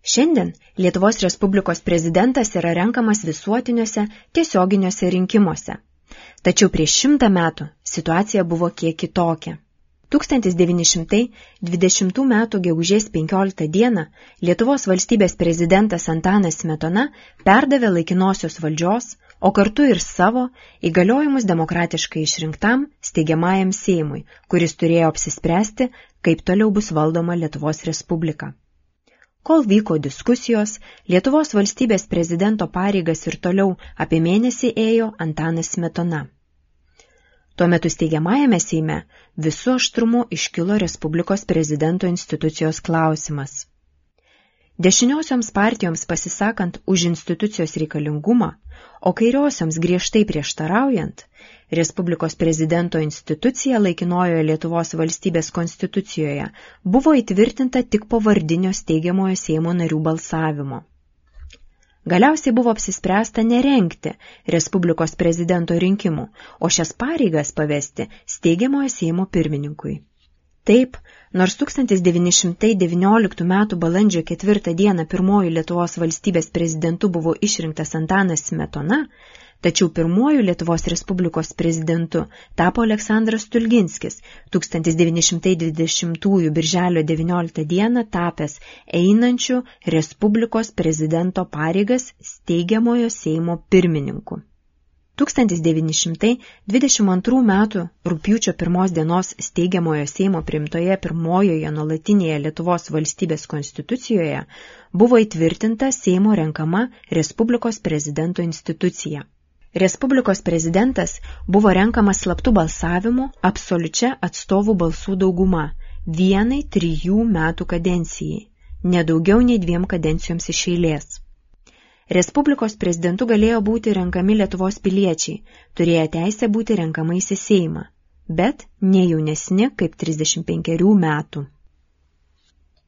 Šiandien Lietuvos Respublikos prezidentas yra renkamas visuotiniuose tiesioginiuose rinkimuose. Tačiau prieš 100 metų situacija buvo kiek kitokia. 1920 m. gegužės 15 dieną Lietuvos valstybės prezidentas Antanas Smetona perdavė laikinosios valdžios, o kartu ir savo įgaliojimus demokratiškai išrinktam steigiamajam Seimui, kuris turėjo apsispręsti, kaip toliau bus valdoma Lietuvos Respublika. Kol vyko diskusijos, Lietuvos valstybės prezidento pareigas ir toliau apie mėnesį ėjo Antanas Smetona. Tuo metu steigiamajame Seime visu aštrumu iškilo Respublikos prezidento institucijos klausimas. Dešiniosioms partijoms pasisakant už institucijos reikalingumą, o kairiosioms griežtai prieštaraujant, Respublikos prezidento institucija laikinojoje Lietuvos valstybės konstitucijoje buvo įtvirtinta tik po vardinio steigiamojo Seimo narių balsavimo. Galiausiai buvo apsispręsta nerengti Respublikos prezidento rinkimų, o šias pareigas pavesti steigiamojo Seimo pirmininkui. Taip, nors 1919 m. balandžio 4 dieną pirmuoju Lietuvos valstybės prezidentu buvo išrinktas Antanas Smetona, tačiau pirmuoju Lietuvos Respublikos prezidentu tapo Aleksandras Stulginskis, 1920 birželio 19 dieną tapęs einančiu Respublikos prezidento pareigas steigiamojo Seimo pirmininku. 1922 m. rugpjūčio 1 dienos steigiamojo Seimo priimtoje pirmojoje nuolatinėje Lietuvos valstybės konstitucijoje buvo įtvirtinta Seimo renkama Respublikos prezidento institucija. Respublikos prezidentas buvo renkamas slaptu balsavimu absoliučia atstovų balsų dauguma vienai 3 metų kadencijai, nedaugiau nei 2 kadencijoms iš eilės. Respublikos prezidentu galėjo būti renkami Lietuvos piliečiai, turėję teisę būti renkamais į Seimą, bet ne jaunesni kaip 35 metų.